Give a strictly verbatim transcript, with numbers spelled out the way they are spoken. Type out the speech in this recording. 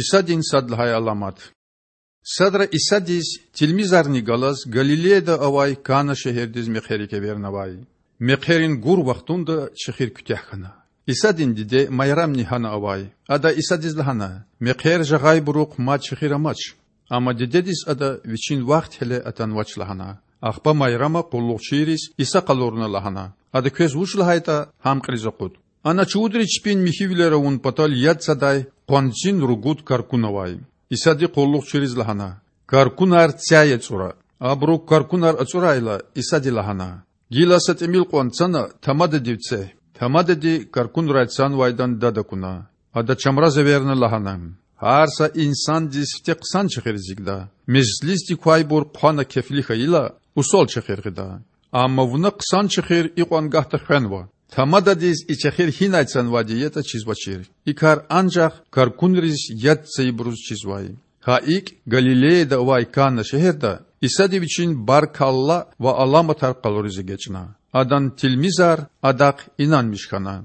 Исадин сад лагьай аламат. Садра Исадиз, тилмизарни галаз, Галилеяда авай Кана шегьердиз мехъерик эвернавай. Мехъерин гур вахтунда чехир куьтягь хьана. Исадин диде Майрамни гьана авай. Ада Исадиз лагьана: Мехъер жагъайбурухъ мад чехир амач. Амма дидедиз Ада Вичин вахт гьеле атанвач лагьана. Ахпа Майрама къуллугъчийриз Иса къалурна лагьана: Ада квез вуч лагьайтІа, гьам кьилиз акъуд. Ана чувудри чпин михьивилер авун патал яд цадай къванцин ругуд каркун авай. Исади къуллугъчийриз лагьана: Каркунар цяй ацІура. Абуру каркунар ацІурайла, Исади лагьана: Гила са тІимил кьван цана, тамададив це. Тамадади каркунрай цанвайдан дад акуна. Ада чамраз эверна лагьана: Гьар са инсандиз фте хъсан чехир эцигда. Межлисдик квайбур хъвана кефли хьайила, усал чехир гъида. Амма вуна хъсан чехир икьван гагьда хвенва. Тамададиз и чехир гьинай цанвайди ятІа чизвачир. И кар анжах каркунриз яд цайибуруз чизвай. Гьа икІ Галилеяда авай Кана шегьерда Исади Вичин баркалла ва аламатар къалуриз эгечІна. Адан тилмизар Адахъ инанмиш хьана.